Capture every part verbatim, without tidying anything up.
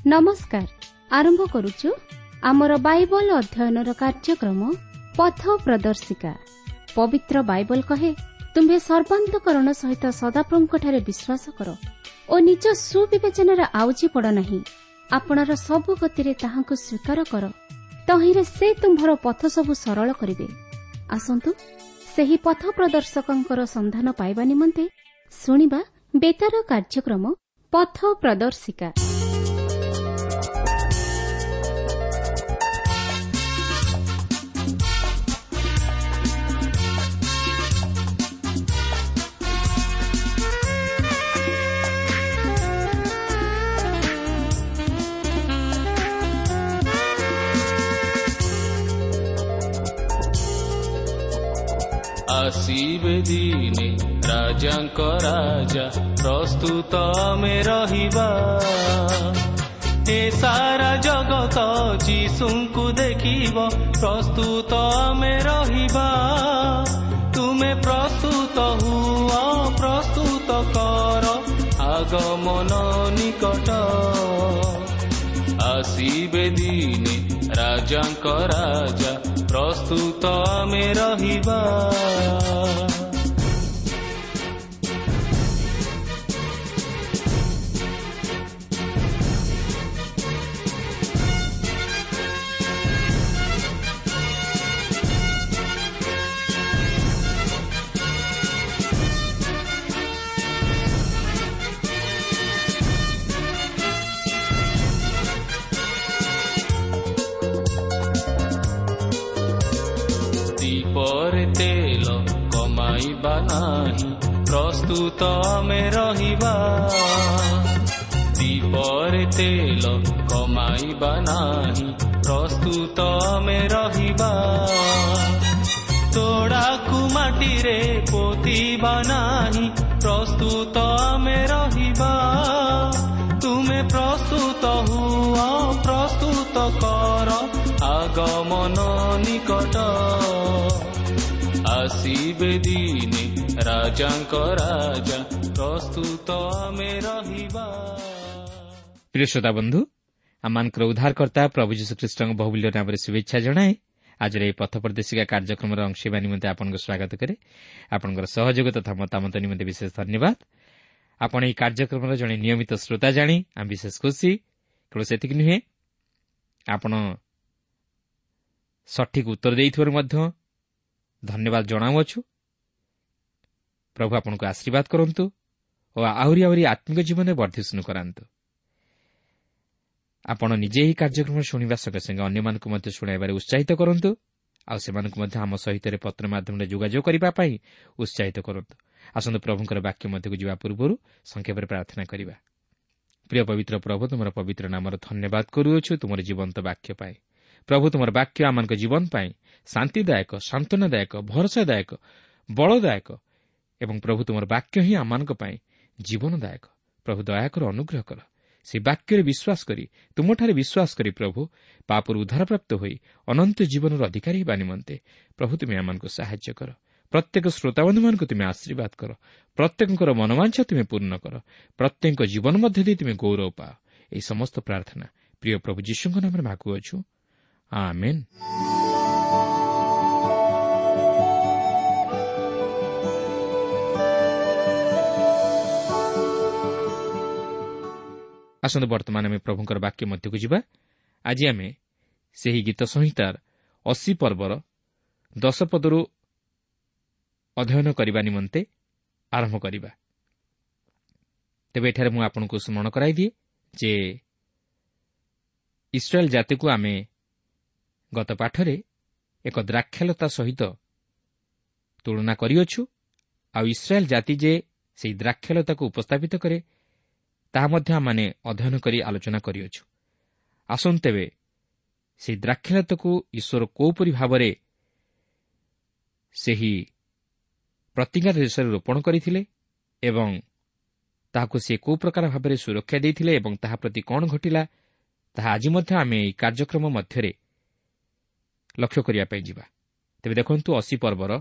ନମସ୍କାର। ଆରମ୍ଭ କରୁଛୁ ଆମର ବାଇବଲ ଅଧ୍ୟୟନର କାର୍ଯ୍ୟକ୍ରମ ପଥ ପ୍ରଦର୍ଶିକା। ପବିତ୍ର ବାଇବଲ କହେ, ତୁମ୍ଭେ ସର୍ବାନ୍ତକରଣ ସହିତ ସଦାପ୍ରଭୁଙ୍କଠାରେ ବିଶ୍ୱାସ କର ଓ ନିଜ ସୁବିବେଚନାରେ ଆଉଜି ପଡ଼ ନାହିଁ। ଆପଣାର ସବୁ ଗତିରେ ତାହାଙ୍କୁ ସ୍ୱୀକାର କର, ତହିଁରେ ସେ ତୁମ୍ଭର ପଥ ସବୁ ସରଳ କରିବେ। ଆସନ୍ତୁ ସେହି ପଥ ପ୍ରଦର୍ଶକଙ୍କର ସନ୍ଧାନ ପାଇବା ନିମନ୍ତେ ଶୁଣିବା ବେତାର କାର୍ଯ୍ୟକ୍ରମ ପଥ ପ୍ରଦର୍ଶିକା। ଆସିବେ ଦିନେ ରାଜାଙ୍କ ରାଜା, ପ୍ରସ୍ତୁତ ଆମେ ରହିବା। ଏ ସାରା ଜଗତ ଯୀଶୁଙ୍କୁ ଦେଖିବ, ପ୍ରସ୍ତୁତ ଆମେ ରହିବା। ତୁମେ ପ୍ରସ୍ତୁତ ହୁଅ, ପ୍ରସ୍ତୁତ କର, ଆଗମନ ନିକଟ। ଆସିବେ ଦିନେ ରାଜାଙ୍କ ରାଜା, ପ୍ରସ୍ତୁତ ଆମେ ରହିବା। ଦୀପରେ ତେଲ କମାଇବା ନାହିଁ, ପ୍ରସ୍ତୁତ ଆମେ ରହିବା। ଦୀପରେ ତେଲ କମାଇବା ନାହିଁ, ପ୍ରସ୍ତୁତ ଆମେ ରହିବା। ତୋଡ଼ାକୁ ମାଟିରେ ପୋତିବା ନାହିଁ, ପ୍ରସ୍ତୁତ ଆମେ ରହିବା। ତୁମେ ପ୍ରସ୍ତୁତ ହୁଅ, ପ୍ରସ୍ତୁତ କର, ଆଗମନ ନିକଟ। ଆସିବେ ଦିନେ ରାଜାଙ୍କ ରାଜା, ପ୍ରସ୍ତୁତ ଆମେ ରହିବା। ପ୍ରିୟ ଶ୍ରୋତା ବନ୍ଧୁ, ଆମମାନଙ୍କର ଉଦ୍ଧାରକର୍ତ୍ତା ପ୍ରଭୁ ଯୀଶୁଖ୍ରୀଷ୍ଟଙ୍କ ବହୁମୂଲ୍ୟ ନାମରେ ଶୁଭେଚ୍ଛା ଜଣାଏ। ଆଜିର ଏହି ପଥ ପ୍ରଦର୍ଶିକା କାର୍ଯ୍ୟକ୍ରମର ଅଂଶ ହେବା ନିମନ୍ତେ ଆପଣଙ୍କୁ ସ୍ୱାଗତ କରେ। ଆପଣଙ୍କର ସହଯୋଗ ତଥା ମତାମତ ନିମନ୍ତେ ବିଶେଷ ଧନ୍ୟବାଦ। ଆପଣ ଏହି କାର୍ଯ୍ୟକ୍ରମର ଜଣେ ନିୟମିତ ଶ୍ରୋତା ଜାଣି ଆମେ ବିଶେଷ ଖୁସି। କେବଳ ସେତିକି ନୁହେଁ, ଆପଣ ସଠିକ୍ ଉତ୍ତର ଦେଇଥିବାରୁ ମଧ୍ୟ ଧନ୍ୟବାଦ ଜଣାଉଅଛୁ। ପ୍ରଭୁ ଆପଣଙ୍କୁ ଆଶୀର୍ବାଦ କରନ୍ତୁ ଓ ଆହୁରି ଆହୁରି ଆତ୍ମିକ ଜୀବନରେ ବର୍ଦ୍ଧିଷ୍ଣୁ କରାନ୍ତୁ। ଆପଣ ନିଜେ ଏହି କାର୍ଯ୍ୟକ୍ରମ ଶୁଣିବା ସଙ୍ଗେ ସଙ୍ଗେ ଅନ୍ୟମାନଙ୍କୁ ମଧ୍ୟ ଶୁଣାଇବାରେ ଉତ୍ସାହିତ କରନ୍ତୁ, ଆଉ ସେମାନଙ୍କୁ ମଧ୍ୟ ଆମ ସହିତ ପତ୍ର ମାଧ୍ୟମରେ ଯୋଗାଯୋଗ କରିବା ପାଇଁ ଉତ୍ସାହିତ କରନ୍ତୁ। ଆସନ୍ତୁ ପ୍ରଭୁଙ୍କର ବାକ୍ୟ ମଧ୍ୟକୁ ଯିବା ପୂର୍ବରୁ ସଂକ୍ଷେପରେ ପ୍ରାର୍ଥନା କରିବା। ପ୍ରିୟ ପବିତ୍ର ପ୍ରଭୁ, ତୁମର ପବିତ୍ର ନାମର ଧନ୍ୟବାଦ କରୁଅଛୁ ତୁମର ଜୀବନ୍ତ ବାକ୍ୟ ପାଇଁ। ପ୍ରଭୁ, ତୁମର ବାକ୍ୟ ଆମମାନଙ୍କ ଜୀବନ ପାଇଁ ଶାନ୍ତିଦାୟକ, ସାନ୍ତ୍ୱନାଦାୟକ, ଭରସାଦାୟକ, ବଳଦାୟକ ଏବଂ ପ୍ରଭୁ ତୁମର ବାକ୍ୟ ହିଁ ଆମମାନଙ୍କ ପାଇଁ ଜୀବନଦାୟକ। ପ୍ରଭୁ ଦୟାକର, ଅନୁଗ୍ରହ କର। ସେ ବାକ୍ୟରେ ବିଶ୍ୱାସ କରି, ତୁମଠାରେ ବିଶ୍ୱାସ କରି ପ୍ରଭୁ ପାପରୁ ଉଦ୍ଧାରପ୍ରାପ୍ତ ହୋଇ ଅନନ୍ତ ଜୀବନର ଅଧିକାରୀ ହେବା ନିମନ୍ତେ ପ୍ରଭୁ ତୁମେ ଆମମାନଙ୍କୁ ସାହାଯ୍ୟ କର। ପ୍ରତ୍ୟେକ ଶ୍ରୋତାବନ୍ଧୁମାନଙ୍କୁ ତୁମେ ଆଶୀର୍ବାଦ କର। ପ୍ରତ୍ୟେକଙ୍କର ମନୋବାଞ୍ଛା ତୁମେ ପୂର୍ଣ୍ଣ କର। ପ୍ରତ୍ୟେକଙ୍କ ଜୀବନ ମଧ୍ୟ ଦେଇ ତୁମେ ଗୌରବ ପାଅ। ଏହି ସମସ୍ତ ପ୍ରାର୍ଥନା ପ୍ରିୟ ପ୍ରଭୁ ଯୀଶୁଙ୍କ ନାମରେ ମାଗୁଅଛୁ, ଆମେନ୍। ଆସନ୍ତୁ ବର୍ତ୍ତମାନ ଆମେ ପ୍ରଭୁଙ୍କର ବାକ୍ୟ ମଧ୍ୟକୁ ଯିବା। ଆଜି ଆମେ ସେହି ଗୀତ ସଂହିତାର ଅଶୀ ପର୍ବର ଦଶ ପଦରୁ ଅଧ୍ୟୟନ କରିବା ନିମନ୍ତେ ଆରମ୍ଭ କରିବା। ତେବେ ଏଠାରେ ମୁଁ ଆପଣଙ୍କୁ ସ୍ମରଣ କରାଇଦିଏ ଯେ ଇସ୍ରାଏଲ୍ ଜାତିକୁ ଆମେ ଗତ ପାଠରେ ଏକ ଦ୍ରାକ୍ଷାଲତା ସହିତ ତୁଳନା କରିଅଛୁ, ଆଉ ଇସ୍ରାଏଲ୍ ଜାତି ଯେ ସେହି ଦ୍ରାକ୍ଷାଲତାକୁ ଉପସ୍ଥାପିତ କରେ ତାହା ମଧ୍ୟ ଆମମାନେ ଅଧ୍ୟୟନ କରି ଆଲୋଚନା କରିଅଛୁ। ଆସନ୍ତୁ ତେବେ ସେହି ଦ୍ରାକ୍ଷାଲତାକୁ ଈଶ୍ୱର କୋଉପରି ଭାବରେ ସେହି ପ୍ରତିଜ୍ଞା ଦେଶରେ ରୋପଣ କରିଥିଲେ ଏବଂ ତାହାକୁ ସେ କେଉଁ ପ୍ରକାର ଭାବରେ ସୁରକ୍ଷା ଦେଇଥିଲେ ଏବଂ ତାହା ପ୍ରତି କ'ଣ ଘଟିଲା, ତାହା ଆଜି ମଧ୍ୟ ଆମେ ଏହି କାର୍ଯ୍ୟକ୍ରମ ମଧ୍ୟରେ ଲକ୍ଷ୍ୟ କରିବା ପାଇଁ ଯିବା। ତେବେ ଦେଖନ୍ତୁ, ଅଶୀ ପର୍ବର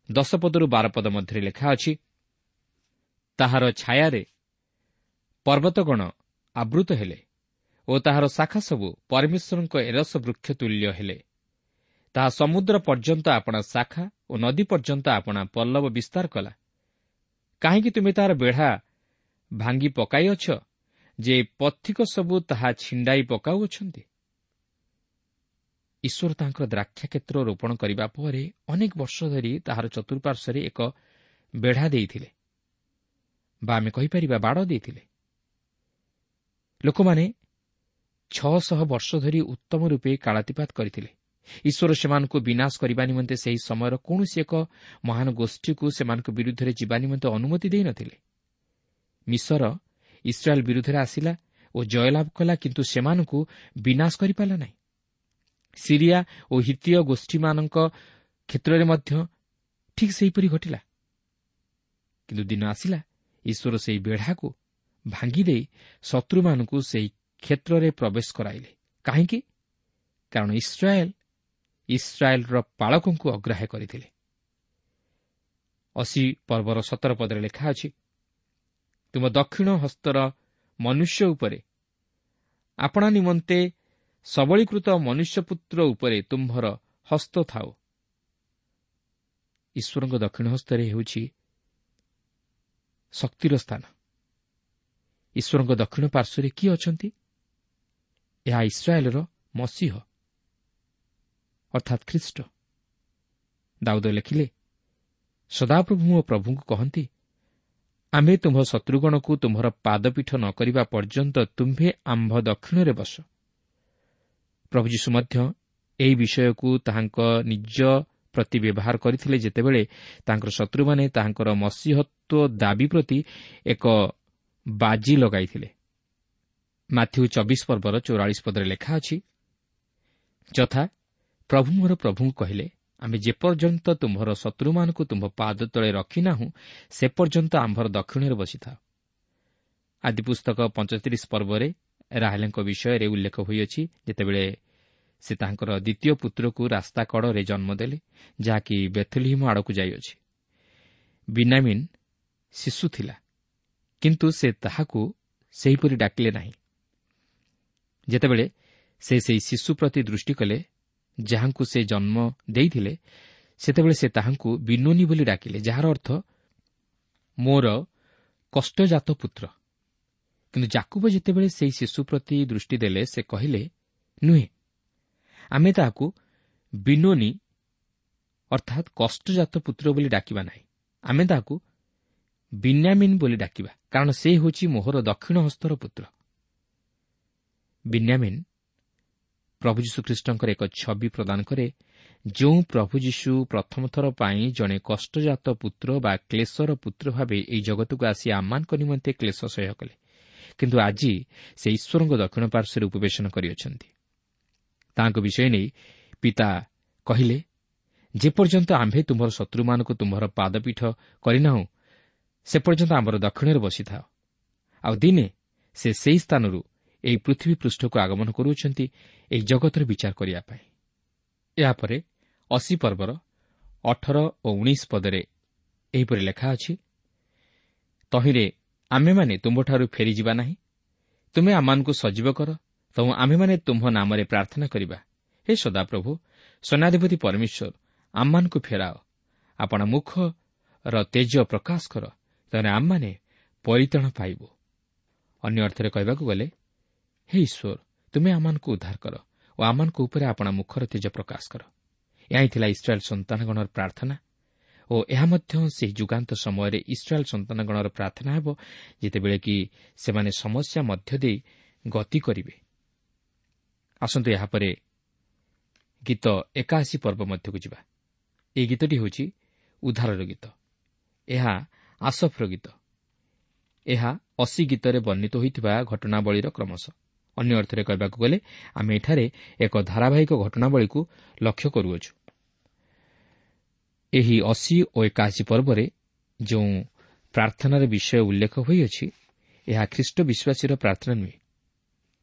ଦଶ ପଦରୁ ବାର ପଦ ମଧ୍ୟରେ ଲେଖା ଅଛି, ତାହାର ଛାୟାରେ ପର୍ବତଗଣ ଆବୃତ ହେଲେ ଓ ତାହାର ଶାଖା ସବୁ ପରମେଶ୍ୱରଙ୍କ ଏରସ ବୃକ୍ଷ ତୁଲ୍ୟ ହେଲେ। ତାହା ସମୁଦ୍ର ପର୍ଯ୍ୟନ୍ତ ଆପଣା ଶାଖା ଓ ନଦୀ ପର୍ଯ୍ୟନ୍ତ ଆପଣା ପଲ୍ଲବ ବିସ୍ତାର କଲା। କାହିଁକି ତୁମେ ତାହାର ବେଢ଼ା ଭାଙ୍ଗି ପକାଇଅଛ ଯେ ପଥିକ ସବୁ ତାହା ଛିଣ୍ଡାଇ ପକାଉଅଛନ୍ତି? ଈଶ୍ୱର ତାଙ୍କର ଦ୍ରାକ୍ଷା କ୍ଷେତ୍ର ରୋପଣ କରିବା ପରେ ଅନେକ ବର୍ଷ ଧରି ତାହାର ଚତୁଃପାର୍ଶ୍ୱରେ ଏକ ବେଢ଼ା ଦେଇଥିଲେ ବା ଆମେ କହିପାରିବା ବାଡ଼ ଦେଇଥିଲେ। ଲୋକମାନେ ଛଅଶହ ବର୍ଷ ଧରି ଉତ୍ତମ ରୂପେ କାଳାତିପାତ କରିଥିଲେ। ଈଶ୍ୱର ସେମାନଙ୍କୁ ବିନାଶ କରିବା ନିମନ୍ତେ ସେହି ସମୟର କୌଣସି ଏକ ମହାନ ଗୋଷ୍ଠୀକୁ ସେମାନଙ୍କ ବିରୁଦ୍ଧରେ ଯିବା ନିମନ୍ତେ ଅନୁମତି ଦେଇନଥିଲେ। ମିଶର ଇସ୍ରାଏଲ୍ ବିରୁଦ୍ଧରେ ଆସିଲା ଓ ଜୟଲାଭ କଲା, କିନ୍ତୁ ସେମାନଙ୍କୁ ବିନାଶ କରିପାରିଲା ନାହିଁ। ସିରିଆ ଓ ହିତୀୟ ଗୋଷ୍ଠୀମାନଙ୍କ କ୍ଷେତ୍ରରେ ମଧ୍ୟ ଠିକ୍ ସେହିପରି ଘଟିଲା। କିନ୍ତୁ ଦିନ ଆସିଲା ଈଶ୍ୱର ସେହି ବେଢ଼ାକୁ ଭାଙ୍ଗିଦେଇ ଶତ୍ରୁମାନଙ୍କୁ ସେହି କ୍ଷେତ୍ରରେ ପ୍ରବେଶ କରାଇଲେ। କାହିଁକି? କାରଣ ଇସ୍ରାଏଲ୍ ଇସ୍ରାଏଲ୍ର ପାଳକଙ୍କୁ ଅଗ୍ରାହ୍ୟ କରିଥିଲେ। ଅଶୀ ପର୍ବର ସତର ପଦରେ ଲେଖା ଅଛି, ତୁମ ଦକ୍ଷିଣ ହସ୍ତର ମନୁଷ୍ୟ ଉପରେ, ଆପଣା ନିମନ୍ତେ ସବଳୀକୃତ ମନୁଷ୍ୟପୁତ୍ର ଉପରେ ତୁମ୍ଭର ହସ୍ତ ଥାଉ। ଈଶ୍ୱରଙ୍କ ଦକ୍ଷିଣ ହସ୍ତରେ ହେଉଛି ଶକ୍ତିର ସ୍ଥାନ। ଈଶ୍ୱରଙ୍କ ଦକ୍ଷିଣ ପାର୍ଶ୍ୱରେ କିଏ ଅଛନ୍ତି? ଏହା ଇସ୍ରାଏଲ୍ର ମସିହ ଅର୍ଥାତ୍ ଖ୍ରୀଷ୍ଟ। ଦାଉଦ ଲେଖିଲେ, ସଦାପ୍ରଭୁ ମୋ ପ୍ରଭୁଙ୍କୁ କହନ୍ତି, ଆମ୍ଭେ ତୁମ୍ଭ ଶତ୍ରୁଗଣକୁ ତୁମ୍ଭର ପାଦପୀଠ ନ କରିବା ପର୍ଯ୍ୟନ୍ତ ତୁମ୍ଭେ ଆମ୍ଭ ଦକ୍ଷିଣରେ ବସ। ପ୍ରଭୁ ଯୀଶୁ ମଧ୍ୟ ଏହି ବିଷୟକୁ ତାହାଙ୍କ ନିଜ ପ୍ରତି ବ୍ୟବହାର କରିଥିଲେ, ଯେତେବେଳେ ତାଙ୍କର ଶତ୍ରୁମାନେ ତାହାଙ୍କର ମସିହତ୍ୱ ଦାବି ପ୍ରତି ଏକ ବାଜି ଲଗାଇଥିଲେ। ମାଥ୍ୟୁ ଚବିଶ ପର୍ବର ଚଉରାଳିଶ ପଦରେ ଲେଖା ଅଛି, ଯଥା ପ୍ରଭୁ ମୋର ପ୍ରଭୁଙ୍କୁ କହିଲେ, ଆମେ ଯେପର୍ଯ୍ୟନ୍ତ ତୁମ୍ଭର ଶତ୍ରୁମାନଙ୍କୁ ତୁମ୍ଭ ପାଦ ତଳେ ରଖିନାହୁଁ ସେ ପର୍ଯ୍ୟନ୍ତ ଆମ୍ଭର ଦକ୍ଷିଣରେ ବସିଥାଅ। ଆଦିପୁସ୍ତକ ପଞ୍ଚତିରିଶ ପର୍ବରେ ରାହେଲଙ୍କ ବିଷୟରେ ଉଲ୍ଲେଖ ହୋଇଅଛି, ଯେତେବେଳେ ସେ ତାଙ୍କର ଦ୍ୱିତୀୟ ପୁତ୍ରକୁ ରାସ୍ତା କଡ଼ରେ ଜନ୍ମ ଦେଲେ, ଯାହାକି ବେଥଲିହିମ ଆଡ଼କୁ ଯାଇଅଛି। ବିନ୍ୟାମୀନ୍ ଶିଶୁ ଥିଲା, କିନ୍ତୁ ସେ ତାହାକୁ ସେହିପରି ଡାକିଲେ ନାହିଁ। ଯେତେବେଳେ ସେ ସେହି ଶିଶୁ ପ୍ରତି ଦୃଷ୍ଟି କଲେ ଯାହାଙ୍କୁ ସେ ଜନ୍ମ ଦେଇଥିଲେ, ସେତେବେଳେ ସେ ତାହାଙ୍କୁ ବିନୋନି ବୋଲି ଡାକିଲେ, ଯାହାର ଅର୍ଥ ମୋର କଷ୍ଟଜାତ ପୁତ୍ର। କିନ୍ତୁ ଯାକୁବ ଯେତେବେଳେ ସେହି ଶିଶୁ ପ୍ରତି ଦୃଷ୍ଟି ଦେଲେ, ସେ କହିଲେ, ନୁହେଁ, ଆମେ ତାହାକୁ ବିନୋନି ଅର୍ଥାତ୍ କଷ୍ଟଜାତ ପୁତ୍ର ବୋଲି ଡାକିବା ନାହିଁ, ଆମେ ତାହାକୁ ବିନ୍ୟାମିନ୍ ବୋଲି ଡାକିବା, କାରଣ ସେ ହେଉଛି ମୋହର ଦକ୍ଷିଣ ହସ୍ତର ପୁତ୍ର। ବିନ୍ୟାମିନ୍ ପ୍ରଭୁ ଯୀଶୁଖ୍ରୀଷ୍ଟଙ୍କର ଏକ ଛବି ପ୍ରଦାନ କରେ, ଯେଉଁ ପ୍ରଭୁ ଯୀଶୁ ପ୍ରଥମ ଥର ପାଇଁ ଜଣେ କଷ୍ଟଜାତ ପୁତ୍ର ବା କ୍ଲେଶର ପୁତ୍ର ଭାବେ ଏହି ଜଗତକୁ ଆସି ଆମମାନଙ୍କ ନିମନ୍ତେ କ୍ଲେଶ ସହ୍ୟ କଲେ, କିନ୍ତୁ ଆଜି ସେ ଈଶ୍ୱରଙ୍କ ଦକ୍ଷିଣ ପାର୍ଶ୍ୱରେ ଉପବେଶନ କରିଅଛନ୍ତି। ତାଙ୍କ ବିଷୟ ନେଇ ପିତା କହିଲେ, ଯେପର୍ଯ୍ୟନ୍ତ ଆମ୍ଭେ ତୁମ୍ଭର ଶତ୍ରୁମାନଙ୍କୁ ତୁମ୍ଭର ପାଦପୀଠ କରିନାହୁଁ ସେ ପର୍ଯ୍ୟନ୍ତ ଆମର ଦକ୍ଷିଣରେ ବସିଥାଅ। ଆଉ ଦିନେ ସେ ସେହି ସ୍ଥାନରୁ ଏହି ପୃଥିବୀ ପୃଷ୍ଠକୁ ଆଗମନ କରୁଅଛନ୍ତି ଏହି ଜଗତର ବିଚାର କରିବା ପାଇଁ। ଏହାପରେ ଅଶୀ ପର୍ବର ଅଠର ଓ ଉଣେଇଶ ପଦରେ ଏହିପରି ଲେଖା ଅଛି, ତହିଁରେ ଆମ୍ଭେମାନେ ତୁମ୍ଭଠାରୁ ଫେରିଯିବା ନାହିଁ, ତୁମେ ଆମମାନଙ୍କୁ ସଜୀବ କର, ତେଣୁ ଆମ୍ଭେମାନେ ତୁମ୍ଭ ନାମରେ ପ୍ରାର୍ଥନା କରିବା। ହେ ସଦାପ୍ରଭୁ ସୈନ୍ୟାଧିପତି ପରମେଶ୍ୱର, ଆମମାନଙ୍କୁ ଫେରାଅ, ଆପଣା ମୁଖର ତେଜ ପ୍ରକାଶ କର, ତେଣୁ ଆମମାନେ ପରିତ୍ରାଣ ପାଇବୁ। ଅନ୍ୟ ଅର୍ଥରେ କହିବାକୁ ଗଲେ, ହେ ଈଶ୍ୱର, ତୁମେ ଆମମାନଙ୍କୁ ଉଦ୍ଧାର କର ଓ ଆମମାନଙ୍କ ଉପରେ ଆପଣା ମୁଖର ତେଜ ପ୍ରକାଶ କର। ଏହା ହିଁ ଥିଲା ଇସ୍ରାଏଲ୍ ସନ୍ତାନଗଣର ପ୍ରାର୍ଥନା ଓ ଏହା ମଧ୍ୟ ସେହି ଯୁଗାନ୍ତ ସମୟରେ ଇସ୍ରାଏଲ୍ ସନ୍ତାନଗଣର ପ୍ରାର୍ଥନା ହେବ, ଯେତେବେଳେ କି ସେମାନେ ସମସ୍ୟା ମଧ୍ୟ ଦେଇ ଗତି କରିବେ। ଆସନ୍ତୁ ଏହାପରେ ଗୀତ ଏକାଅଶୀ ପର୍ବ ମଧ୍ୟକୁ ଯିବା। ଏହି ଗୀତଟି ହେଉଛି ଉଦ୍ଧାରର ଗୀତ। ଏହା ଆସଫର ଗୀତ। ଏହା ଅଶୀ ଗୀତରେ ବର୍ଣ୍ଣିତ ହୋଇଥିବା ଘଟଣାବଳୀର କ୍ରମଶ। ଅନ୍ୟ ଅର୍ଥରେ କହିବାକୁ ଗଲେ ଆମେ ଏଠାରେ ଏକ ଧାରାବାହିକ ଘଟଣାବଳୀକୁ ଲକ୍ଷ୍ୟ କରୁଅଛୁ। ଏହି ଅଶୀ ଓ ଏକାଅଶୀ ପର୍ବରେ ଯେଉଁ ପ୍ରାର୍ଥନାର ବିଷୟ ଉଲ୍ଲେଖ ହୋଇଅଛି, ଏହା ଖ୍ରୀଷ୍ଟ ବିଶ୍ୱାସୀର ପ୍ରାର୍ଥନା ନୁହେଁ,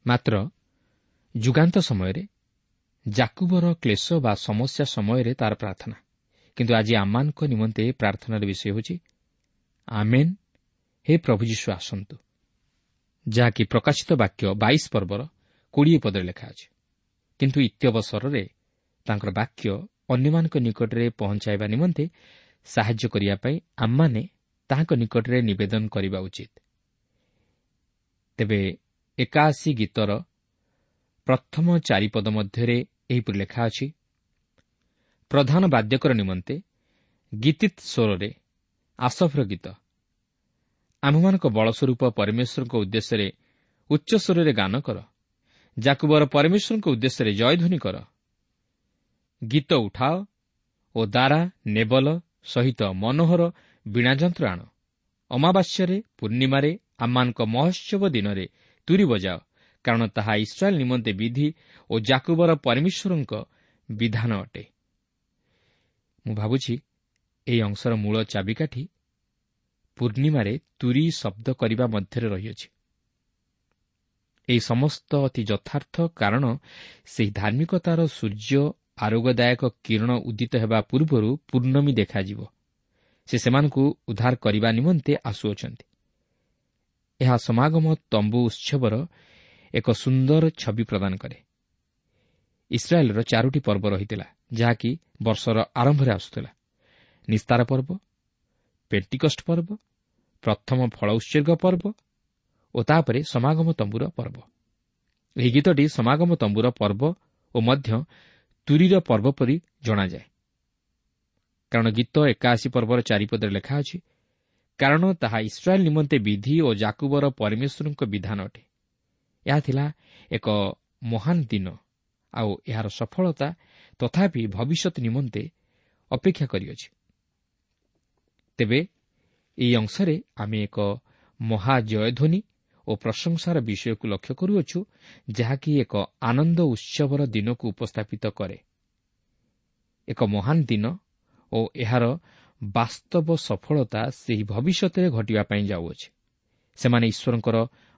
ମାତ୍ର ଯୁଗାନ୍ତ ସମୟରେ ଯାକୁବର କ୍ଲେଶ ବା ସମସ୍ୟା ସମୟରେ ତାର ପ୍ରାର୍ଥନା। କିନ୍ତୁ ଆଜି ଆମମାନଙ୍କ ନିମନ୍ତେ ପ୍ରାର୍ଥନାର ବିଷୟ ହେଉଛି ଆମେନ୍, ହେ ପ୍ରଭୁ ଯୀଶୁ ଆସନ୍ତୁ, ଯାହାକି ପ୍ରକାଶିତ ବାକ୍ୟ ବାଇଶ ପର୍ବର କୋଡ଼ିଏ ପଦରେ ଲେଖା ଅଛି। କିନ୍ତୁ ଇତ୍ୟବସରରେ ତାଙ୍କର ବାକ୍ୟ ଅନ୍ୟମାନଙ୍କ ନିକଟରେ ପହଞ୍ଚାଇବା ନିମନ୍ତେ ସାହାଯ୍ୟ କରିବା ପାଇଁ ଆମମାନେ ତାହାଙ୍କ ନିକଟରେ ନିବେଦନ କରିବା ଉଚିତ। ତେବେ ଏକାଅଶୀ ଗୀତର ପ୍ରଥମ ଚାରିପଦ ମଧ୍ୟରେ ଏହିପରି ଲେଖା ଅଛି, ପ୍ରଧାନ ବାଦ୍ୟକର ନିମନ୍ତେ ଗୀତିତ୍ ସ୍ୱରରେ ଆସଫର ଗୀତ। ଆମ୍ଭମାନଙ୍କ ବଳସ୍ୱରୂପ ପରମେଶ୍ୱରଙ୍କ ଉଦ୍ଦେଶ୍ୟରେ ଉଚ୍ଚସ୍ୱରରେ ଗାନ କର, ଯାକୁବର ପରମେଶ୍ୱରଙ୍କ ଉଦ୍ଦେଶ୍ୟରେ ଜୟଧ୍ୱନି କର। ଗୀତ ଉଠାଅ ଓ ଦାରା ନେବଲ ସହିତ ମନୋହର ବୀଣାଯନ୍ତ୍ର ଆଣ। ଅମାବାସ୍ୟରେ ପୂର୍ଣ୍ଣିମାରେ ଆମମାନଙ୍କ ମହୋତ୍ସବ ଦିନରେ ତୁରି ବଜାଅ, କାରଣ ତାହା ଇସ୍ରାଏଲ ନିମନ୍ତେ ବିଧି ଓ ଯାକୁବର ପରମେଶ୍ୱରଙ୍କ ବିଧାନ ଅଟେ। ମୁଁ ଭାବୁଛି ଏହି ଅଂଶର ମୂଳ ଚାବିକାଠି ପୂର୍ଣ୍ଣିମାରେ ତୁରି ଶବ୍ଦ କରିବା ମଧ୍ୟରେ ରହିଅଛି। ଏହି ସମସ୍ତ ଅତି ଯଥାର୍ଥ, କାରଣ ସେହି ଧାର୍ମିକତାର ସୂର୍ଯ୍ୟ ଆରୋଗ୍ୟଦାୟକ କିରଣ ଉଦିତ ହେବା ପୂର୍ବରୁ ପୂର୍ଣ୍ଣମୀ ଦେଖାଯିବ। ସେ ସେମାନଙ୍କୁ ଉଦ୍ଧାର କରିବା ନିମନ୍ତେ ଆସୁଅଛନ୍ତି। ଏହା ସମାଗମ ତମ୍ବୁ ଉତ୍ସବର ଏକ ସୁନ୍ଦର ଛବି ପ୍ରଦାନ କରେ। ଇସ୍ରାଏଲର ଚାରୋଟି ପର୍ବ ରହିଥିଲା, ଯାହାକି ବର୍ଷର ଆରମ୍ଭରେ ଆସୁଥିଲା। ନିସ୍ତାର ପର୍ବ, ପେଣ୍ଟିକଷ୍ଟ ପର୍ବ, ପ୍ରଥମ ଫଳ ଉତ୍ସର୍ଗ ପର୍ବ ଓ ତାପରେ ସମାଗମ ତମ୍ବୁର ପର୍ବ। ଏହି ଗୀତଟି ସମାଗମ ତମ୍ବୁର ପର୍ବ ଓ ମଧ୍ୟ ତୁରୀର ପର୍ବ ପରି ଜଣାଯାଏ, କାରଣ ଗୀତ ଏକାଅଶୀ ପର୍ବର ଚାରିପଦରେ ଲେଖା ଅଛି, କାରଣ ତାହା ଇସ୍ରାଏଲ ନିମନ୍ତେ ବିଧି ଓ ଯାକୁବର ପରମେଶ୍ୱରଙ୍କ ବିଧାନ ଅଟେ। ଏହା ଥିଲା ଏକ ମହାନ ଦିନ, ଆଉ ଏହାର ସଫଳତା ତଥାପି ଭବିଷ୍ୟତ ନିମନ୍ତେ ଅପେକ୍ଷା କରିଅଛି। ତେବେ ଏହି ଅଂଶରେ ଆମେ ଏକ ମହାଜୟଧ୍ୱନି ଓ ପ୍ରଶଂସାର ବିଷୟକୁ ଲକ୍ଷ୍ୟ କରୁଅଛୁ, ଯାହାକି ଏକ ଆନନ୍ଦ ଉତ୍ସବର ଦିନକୁ ଉପସ୍ଥାପିତ କରେ। ଏକ ମହାନ ଦିନ ଓ ଏହାର ବାସ୍ତବ ସଫଳତା ସେହି ଭବିଷ୍ୟତରେ ଘଟିବା ପାଇଁ ଯାଉଅଛି। ସେମାନେ ଈଶ୍ୱରଙ୍କର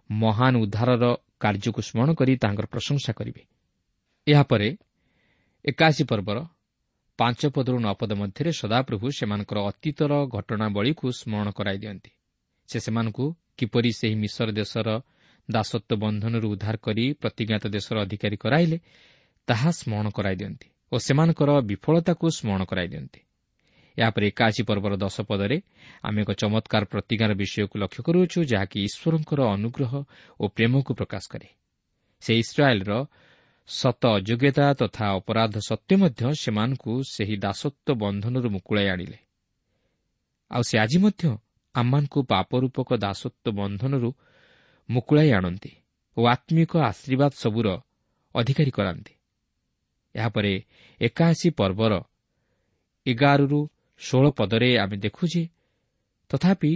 ମହାନ ଉଦ୍ଧାରର କାର୍ଯ୍ୟକୁ ସ୍ମରଣ କରି ତାଙ୍କର ପ୍ରଶଂସା କରିବେ। ଏହାପରେ ଏକାଅଶୀ ପର୍ବର ପାଞ୍ଚ ପଦରୁ ନଅ ପଦ ମଧ୍ୟରେ ସଦାପ୍ରଭୁ ସେମାନଙ୍କର ଅତୀତର ଘଟଣାବଳୀକୁ ସ୍ମରଣ କରାଇ ଦିଅନ୍ତି। ସେ ସେମାନଙ୍କୁ କିପରି ସେହି ମିଶର ଦେଶର ଦାସତ୍ୱ ବନ୍ଧନରୁ ଉଦ୍ଧାର କରି ପ୍ରତିଜ୍ଞାତ ଦେଶର ଅଧିକାରୀ କରାଇଲେ ତାହା ସ୍ମରଣ କରାଇ ଦିଅନ୍ତି ଓ ସେମାନଙ୍କର ବିଫଳତାକୁ ସ୍ମରଣ କରାଇ ଦିଅନ୍ତି। ଏହାପରେ ଏକାଅଶୀ ପର୍ବର ଦଶ ପଦରେ ଆମେ ଏକ ଚମତ୍କାର ପ୍ରତିଜ୍ଞାର ବିଷୟକୁ ଲକ୍ଷ୍ୟ କରୁଅଛୁ, ଯାହାକି ଈଶ୍ୱରଙ୍କର ଅନୁଗ୍ରହ ଓ ପ୍ରେମକୁ ପ୍ରକାଶ କରେ। ସେ ଇସ୍ରାଏଲର ସତ ଅଯୋଗ୍ୟତା ତଥା ଅପରାଧ ସତ୍ତ୍ୱେ ମଧ୍ୟ ସେମାନଙ୍କୁ ସେହି ଦାସତ୍ୱ ବନ୍ଧନରୁ ମୁକୁଳାଇ ଆଣିଲେ। ଆଉ ସେ ଆଜି ମଧ୍ୟ ଆମମାନଙ୍କୁ ପାପରୂପକ ଦାସତ୍ୱ ବନ୍ଧନରୁ ମୁକୁଳାଇ ଆଣନ୍ତି ଓ ଆତ୍ମିକ ଆଶୀର୍ବାଦ ସବୁର ଅଧିକାରୀ କରାନ୍ତି। ଏହାପରେ ଏକାଅଶୀ ପର୍ବର ଏଗାରରୁ ଷୋହଳ ପଦରେ ଆମେ ଦେଖୁ ଯେ ତଥାପି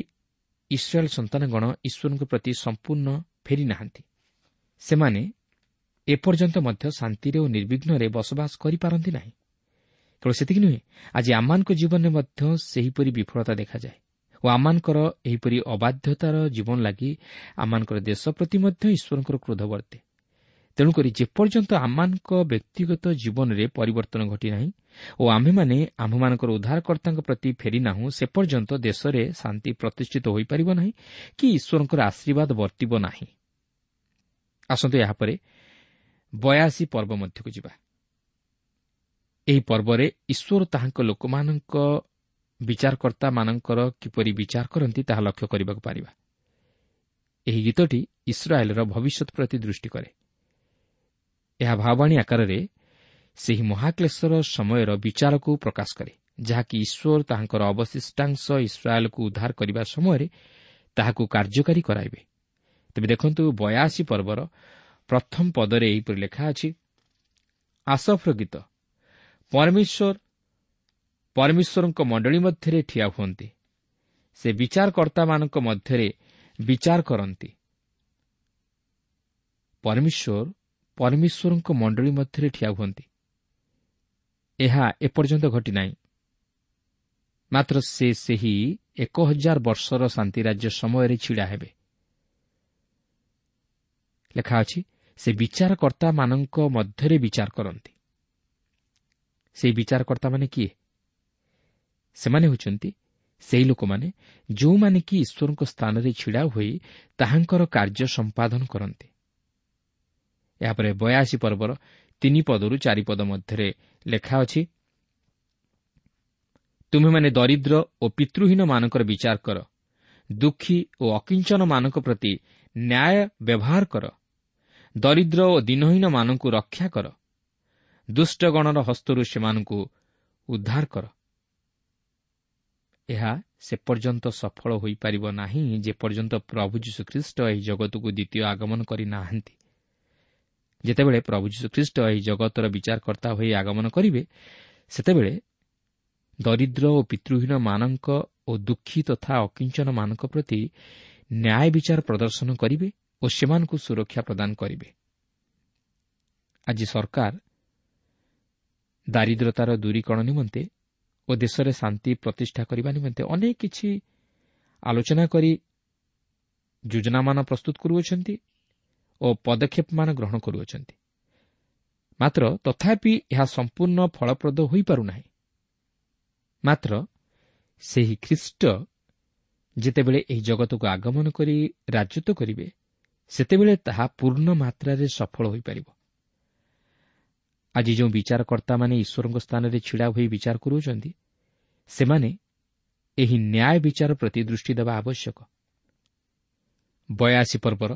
ଇସ୍ରାଏଲ ସନ୍ତାନଗଣ ଈଶ୍ୱରଙ୍କ ପ୍ରତି ସମ୍ପୂର୍ଣ୍ଣ ଫେରିନାହାନ୍ତି। ସେମାନେ ଏପର୍ଯ୍ୟନ୍ତ ମଧ୍ୟ ଶାନ୍ତିରେ ଓ ନିର୍ବିଘ୍ନରେ ବସବାସ କରିପାରନ୍ତି ନାହିଁ। କେବଳ ସେତିକି ନୁହେଁ, ଆଜି ଆମମାନଙ୍କ ଜୀବନରେ ମଧ୍ୟ ସେହିପରି ବିଫଳତା ଦେଖାଯାଏ ଓ ଆମମାନଙ୍କର ଏହିପରି ଅବାଧ୍ୟତାର ଜୀବନ ଲାଗି ଆମମାନଙ୍କର ଦେଶ ପ୍ରତି ମଧ୍ୟ ଈଶ୍ୱରଙ୍କର କ୍ରୋଧ ବର୍ତ୍ତେ। ତେଣୁକରି ଯେପର୍ଯ୍ୟନ୍ତ ଆମମାନଙ୍କ ବ୍ୟକ୍ତିଗତ ଜୀବନରେ ପରିବର୍ତ୍ତନ ଘଟିନାହିଁ ଓ ଆମ୍ଭେମାନେ ଆମ୍ଭମାନଙ୍କର ଉଦ୍ଧାରକର୍ତ୍ତାଙ୍କ ପ୍ରତି ଫେରିନାହୁଁ, ସେ ପର୍ଯ୍ୟନ୍ତ ଦେଶରେ ଶାନ୍ତି ପ୍ରତିଷ୍ଠିତ ହୋଇପାରିବ ନାହିଁ କି ଈଶ୍ୱରଙ୍କର ଆଶୀର୍ବାଦ ବର୍ତ୍ତିବ ନାହିଁ। ଆସନ୍ତୁ ଏହାପରେ ବୟାଅଶୀ ପର୍ବ ମଧ୍ୟକୁ ଯିବା। ଏହି ପର୍ବରେ ଈଶ୍ୱର ତାହାଙ୍କ ଲୋକମାନଙ୍କ ବିଚାରକର୍ତ୍ତାମାନଙ୍କର କିପରି ବିଚାର କରନ୍ତି ତାହା ଲକ୍ଷ୍ୟ କରିବାକୁ ପାରିବା। ଏହି ଗୀତଟି ଇସ୍ରାଏଲର ଭବିଷ୍ୟତ ପ୍ରତି ଦୃଷ୍ଟି କରେ। ଏହା ଭାବବାଣୀ ଆକାରରେ ସେହି ମହାକ୍ଲେଶର ସମୟର ବିଚାରକୁ ପ୍ରକାଶ କରେ, ଯାହାକି ଈଶ୍ୱର ତାହାଙ୍କର ଅବଶିଷ୍ଟାଂଶ ଇସ୍ରାଏଲକୁ ଉଦ୍ଧାର କରିବା ସମୟରେ ତାହାକୁ କାର୍ଯ୍ୟକାରୀ କରାଇବେ। ତେବେ ଦେଖନ୍ତୁ, ବୟାଅଶୀ ପର୍ବର ପ୍ରଥମ ପଦରେ ଏହିପରି ଲେଖା ଅଛି, ଆସଫର ଗୀତ। ପରମେଶ୍ୱର ପରମେଶ୍ୱରଙ୍କ ମଣ୍ଡଳୀ ମଧ୍ୟରେ ଠିଆ ହୁଅନ୍ତି, ସେ ବିଚାରକର୍ତ୍ତାମାନଙ୍କ ମଧ୍ୟରେ ବିଚାର କରନ୍ତି। ପରମେଶ୍ୱର ପରମେଶ୍ୱରଙ୍କ ମଣ୍ଡଳୀ ମଧ୍ୟରେ ଠିଆ ହୁଅନ୍ତି, ଏହା ଏପର୍ଯ୍ୟନ୍ତ ଘଟିନାହିଁ। ମାତ୍ର ସେ ସେହି ଏକ ହଜାର ବର୍ଷର ଶାନ୍ତିରାଜ୍ୟ ସମୟରେ ଛିଡ଼ା ହେବେ। ଲେଖା ଅଛି, ସେ ବିଚାରକର୍ତ୍ତାମାନଙ୍କ ମଧ୍ୟରେ ବିଚାର କରନ୍ତି। ସେହି ବିଚାରକର୍ତ୍ତାମାନେ କିଏ? ସେମାନେ ହେଉଛନ୍ତି ସେହି ଲୋକମାନେ ଯେଉଁମାନେ କି ଈଶ୍ୱରଙ୍କ ସ୍ଥାନରେ ଛିଡ଼ା ହୋଇ ତାହାଙ୍କର କାର୍ଯ୍ୟ ସମ୍ପାଦନ କରନ୍ତି। ଏହାପରେ ବୟାଅଶୀ ପର୍ବର ତିନି ପଦରୁ ଚାରି ପଦ ମଧ୍ୟରେ ଲେଖା ଅଛି, ତୁମେମାନେ ଦରିଦ୍ର ଓ ପିତୃହୀନମାନଙ୍କର ବିଚାର କର, ଦୁଃଖୀ ଓ ଅକିଞ୍ଚନମାନଙ୍କ ପ୍ରତି ନ୍ୟାୟ ବ୍ୟବହାର କର, ଦରିଦ୍ର ଓ ଦୀନହୀନମାନଙ୍କୁ ରକ୍ଷା କର, ଦୁଷ୍ଟଗଣର ହସ୍ତରୁ ସେମାନଙ୍କୁ ଉଦ୍ଧାର କର। ଏହା ସେ ପର୍ଯ୍ୟନ୍ତ ସଫଳ ହୋଇପାରିବ ନାହିଁ ଯେପର୍ଯ୍ୟନ୍ତ ପ୍ରଭୁ ଯୀଶୁଖ୍ରୀଷ୍ଟ ଏହି ଜଗତକୁ ଦ୍ୱିତୀୟ ଆଗମନ କରିନାହାନ୍ତି। ଯେତେବେଳେ ପ୍ରଭୁ ଯୀଶୁଖ୍ରୀଷ୍ଟ ଏହି ଜଗତର ବିଚାରକର୍ତ୍ତା ହୋଇ ଆଗମନ କରିବେ, ସେତେବେଳେ ଦରିଦ୍ର ଓ ପିତୃହୀନମାନଙ୍କ ଓ ଦୁଃଖୀ ତଥା ଅକିଞ୍ଚନମାନଙ୍କ ପ୍ରତି ନ୍ୟାୟ ବିଚାର ପ୍ରଦର୍ଶନ କରିବେ ଓ ସେମାନଙ୍କୁ ସୁରକ୍ଷା ପ୍ରଦାନ କରିବେ। ଆଜି ସରକାର ଦାରିଦ୍ରତାର ଦୂରୀକରଣ ନିମନ୍ତେ ଓ ଦେଶରେ ଶାନ୍ତି ପ୍ରତିଷ୍ଠା କରିବା ନିମନ୍ତେ ଅନେକ କିଛି ଆଲୋଚନା କରି ଯୋଜନାମାନ ପ୍ରସ୍ତୁତ କରୁଅଛନ୍ତି ଓ ପଦକ୍ଷେପମାନ ଗ୍ରହଣ କରୁଅଛନ୍ତି। ମାତ୍ର ତଥାପି ଏହା ସମ୍ପୂର୍ଣ୍ଣ ଫଳପ୍ରଦ ହୋଇପାରୁନାହିଁ। ମାତ୍ର ସେହି ଖ୍ରୀଷ୍ଟ ଯେତେବେଳେ ଏହି ଜଗତକୁ ଆଗମନ କରି ରାଜତ୍ୱ କରିବେ, ସେତେବେଳେ ତାହା ପୂର୍ଣ୍ଣ ମାତ୍ରାରେ ସଫଳ ହୋଇପାରିବ। ଆଜି ଯେଉଁ ବିଚାରକର୍ତ୍ତାମାନେ ଈଶ୍ୱରଙ୍କ ସ୍ଥାନରେ ଛିଡ଼ା ହୋଇ ବିଚାର କରୁଅଛନ୍ତି, ସେମାନେ ଏହି ନ୍ୟାୟ ବିଚାର ପ୍ରତି ଦୃଷ୍ଟି ଦେବା ଆବଶ୍ୟକ। ବୟାଅଶୀ ପର୍ବର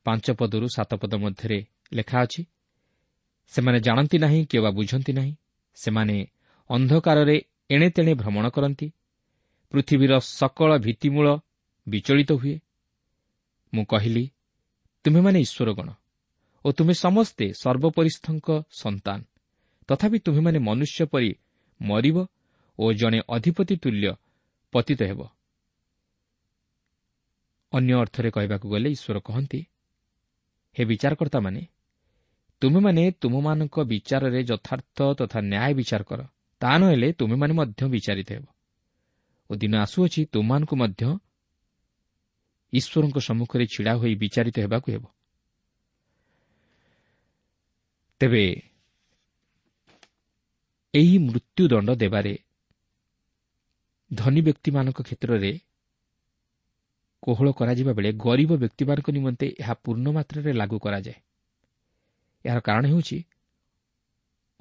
ପାଞ୍ଚ ପଦରୁ ସାତ ପଦ ମଧ୍ୟରେ ଲେଖା ଅଛି, ସେମାନେ ଜାଣନ୍ତି ନାହିଁ କିମ୍ବା ବୁଝନ୍ତି ନାହିଁ, ସେମାନେ ଅନ୍ଧକାରରେ ଏଣେ ତେଣେ ଭ୍ରମଣ କରନ୍ତି, ପୃଥିବୀର ସକଳ ଭିତ୍ତିମୂଳ ବିଚଳିତ ହୁଏ। ମୁଁ କହିଲି, ତୁମେମାନେ ଈଶ୍ୱରଗଣ ଓ ତୁମେ ସମସ୍ତେ ସର୍ବୋପରିସ୍ଥଙ୍କ ସନ୍ତାନ, ତଥାପି ତୁମେମାନେ ମନୁଷ୍ୟ ପରି ମରିବ ଓ ଜଣେ ଅଧିପତି ତୁଲ୍ୟ ପତିତ ହେବ। ଅନ୍ୟ ଅର୍ଥରେ କହିବାକୁ ଗଲେ ଈଶ୍ୱର କହନ୍ତି, ହେ ବିଚାରକର୍ତ୍ତାମାନେ, ତୁମେମାନେ ତୁମମାନଙ୍କ ବିଚାରରେ ଯଥାର୍ଥ ତଥା ନ୍ୟାୟ ବିଚାର କର, ତା ନହେଲେ ତୁମେମାନେ ମଧ୍ୟ ବିଚାରିତ ହେବ ଓ ଦିନ ଆସୁଅଛି ତୁମମାନଙ୍କୁ ମଧ୍ୟ ଈଶ୍ୱରଙ୍କ ସମ୍ମୁଖରେ ଛିଡ଼ା ହୋଇ ବିଚାରିତ ହେବାକୁ ହେବ। ତେବେ ଏହି ମୃତ୍ୟୁଦଣ୍ଡ ଦେବାରେ ଧନୀ ବ୍ୟକ୍ତିମାନଙ୍କ କ୍ଷେତ୍ରରେ କୋହଳ କରାଯିବା ବେଳେ ଗରିବ ବ୍ୟକ୍ତିମାନଙ୍କ ନିମନ୍ତେ ଏହା ପୂର୍ଣ୍ଣ ମାତ୍ରାରେ ଲାଗୁ କରାଯାଏ। ଏହାର କାରଣ ହେଉଛି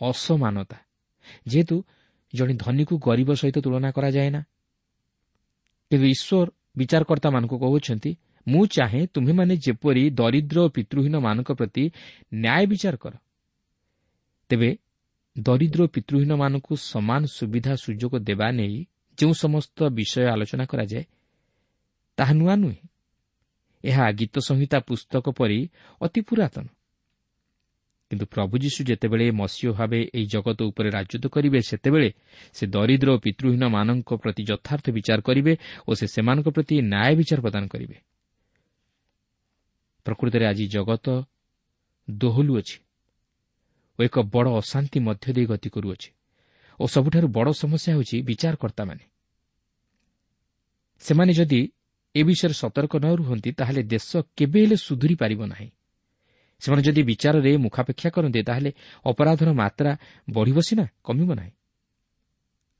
ଅସମାନତା। ଯେହେତୁ ଜଣେ ଧନୀକୁ ଗରିବ ସହିତ ତୁଳନା କରାଯାଏ ନା, କିନ୍ତୁ ଈଶ୍ୱର ବିଚାରକର୍ତ୍ତାମାନଙ୍କୁ କହୁଛନ୍ତି, ମୁଁ ଚାହେଁ ତୁମେମାନେ ଯେପରି ଦରିଦ୍ର ଓ ପିତୃହୀନମାନଙ୍କ ପ୍ରତି ନ୍ୟାୟ ବିଚାର କର। ତେବେ ଦରିଦ୍ର ପିତୃହୀନମାନଙ୍କୁ ସମାନ ସୁବିଧା ସୁଯୋଗ ଦେବା ନେଇ ଯେଉଁ ସମସ୍ତ ବିଷୟ ଆଲୋଚନା କରାଯାଏ ତାହା ନୂଆ ନୁହେଁ। ଏହା ଗୀତ ସଂହିତା ପୁସ୍ତକ ପରି ଅତି ପୁରାତନ। କିନ୍ତୁ ପ୍ରଭୁ ଯୀଶୁ ଯେତେବେଳେ ମସିହ ଭାବେ ଏହି ଜଗତ ଉପରେ ରାଜତ୍ୱ କରିବେ, ସେତେବେଳେ ସେ ଦରିଦ୍ର ଓ ପିତୃହୀନମାନଙ୍କ ପ୍ରତି ଯଥାର୍ଥ ବିଚାର କରିବେ ଓ ସେ ସେମାନଙ୍କ ପ୍ରତି ନ୍ୟାୟ ବିଚାର ପ୍ରଦାନ କରିବେ। ପ୍ରକୃତରେ ଆଜି ଜଗତ ଦୋହଲୁଅଛି ଓ ଏକ ବଡ଼ ଅଶାନ୍ତି ମଧ୍ୟ ଦେଇ ଗତି କରୁଅଛି ଓ ସବୁଠାରୁ ବଡ଼ ସମସ୍ୟା ହେଉଛି ବିଚାରକର୍ତ୍ତାମାନେ। ସେମାନେ ଯଦି ଏ ବିଷୟରେ ସତର୍କ ନ ରୁହନ୍ତି, ତାହେଲେ ଦେଶ କେବେ ହେଲେ ସୁଧୁରି ପାରିବ ନାହିଁ। ସେମାନେ ଯଦି ବିଚାରରେ ମୁଖାପେକ୍ଷା କରନ୍ତି, ତାହେଲେ ଅପରାଧର ମାତ୍ରା ବଢ଼ିବ ସିନା, କମିବ ନାହିଁ।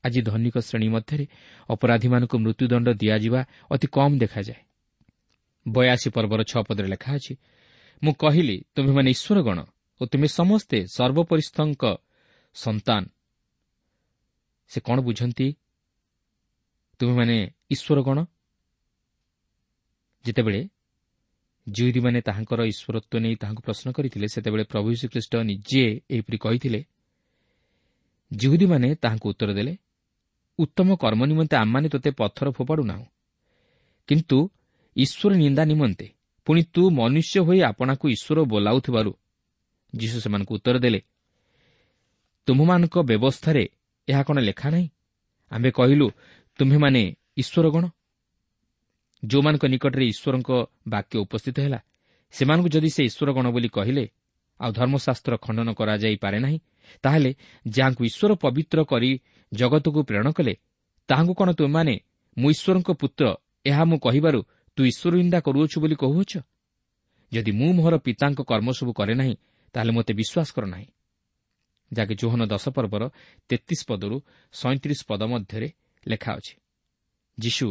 ଆଜି ଧନିକ ଶ୍ରେଣୀ ମଧ୍ୟରେ ଅପରାଧୀମାନଙ୍କୁ ମୃତ୍ୟୁଦଣ୍ଡ ଦିଆଯିବା ଅତି କମ୍ ଦେଖାଯାଏ। ବୟାଅଶୀ ପର୍ବର ଛଅ ପଦରେ ଲେଖା ଅଛି, ମୁଁ କହିଲି, ତୁମେମାନେ ଈଶ୍ୱରଗଣ ଓ ତୁମେ ସମସ୍ତେ ସର୍ବୋପରିସ୍ଥଙ୍କ ସନ୍ତାନ। ସେ କ'ଣ ବୁଝନ୍ତି ତୁମେମାନେ ଈଶ୍ୱରଗଣ? ଯେତେବେଳେ ଜିହୁଦୀମାନେ ତାହାଙ୍କର ଈଶ୍ୱରତ୍ୱ ନେଇ ତାହାଙ୍କୁ ପ୍ରଶ୍ନ କରିଥିଲେ, ସେତେବେଳେ ପ୍ରଭୁ ଯୀଶୁଖ୍ରୀଷ୍ଟ ନିଜେ ଏହିପରି କହିଥିଲେ। ଜିହୁଦୀମାନେ ତାହାଙ୍କୁ ଉତ୍ତର ଦେଲେ, ଉତ୍ତମ କର୍ମ ନିମନ୍ତେ ଆମମାନେ ତୋତେ ପଥର ଫୋପାଡ଼ୁନାହୁଁ, କିନ୍ତୁ ଈଶ୍ୱର ନିନ୍ଦା ନିମନ୍ତେ, ପୁଣି ତୁ ମନୁଷ୍ୟ ହୋଇ ଆପଣାକୁ ଈଶ୍ୱର ବୋଲାଉଥିବାରୁ। ଯୀଶୁ ସେମାନଙ୍କୁ ଉତ୍ତର ଦେଲେ, ତୁମମାନଙ୍କ ବ୍ୟବସ୍ଥାରେ ଏହା କ'ଣ ଲେଖା ନାହିଁ? ଆମ୍ଭେ କହିଲୁ, ତୁମ୍ଭେମାନେ ଈଶ୍ୱରଗଣ। ଯେଉଁମାନଙ୍କ ନିକଟରେ ଈଶ୍ୱରଙ୍କ ବାକ୍ୟ ଉପସ୍ଥିତ ହେଲା, ସେମାନଙ୍କୁ ଯଦି ସେ ଈଶ୍ୱରଗଣ ବୋଲି କହିଲେ ଆଉ ଧର୍ମଶାସ୍ତ୍ର ଖଣ୍ଡନ କରାଯାଇପାରେ ନାହିଁ, ତାହେଲେ ଯାହାଙ୍କୁ ଈଶ୍ୱର ପବିତ୍ର କରି ଜଗତକୁ ପ୍ରେରଣ କଲେ, ତାହାଙ୍କୁ କ'ଣ ତୁମେମାନେ ମୁଁ ଈଶ୍ୱରଙ୍କ ପୁତ୍ର, ଏହା ମୁଁ କହିବାରୁ ତୁ ଈଶ୍ୱର ନିନ୍ଦା କରୁଅଛୁ ବୋଲି କହୁଅଛ? ଯଦି ମୁଁ ମୋହର ପିତାଙ୍କ କର୍ମ ସବୁ କରେ ନାହିଁ, ତାହେଲେ ମୋତେ ବିଶ୍ୱାସ କର ନାହିଁ। ଯାହାକି ଯୋହନ ଦଶ ପର୍ବର ତେତିଶ ପଦରୁ ସଇଁତିରିଶ ପଦ ମଧ୍ୟରେ ଲେଖା ଅଛି। ଯୀଶୁ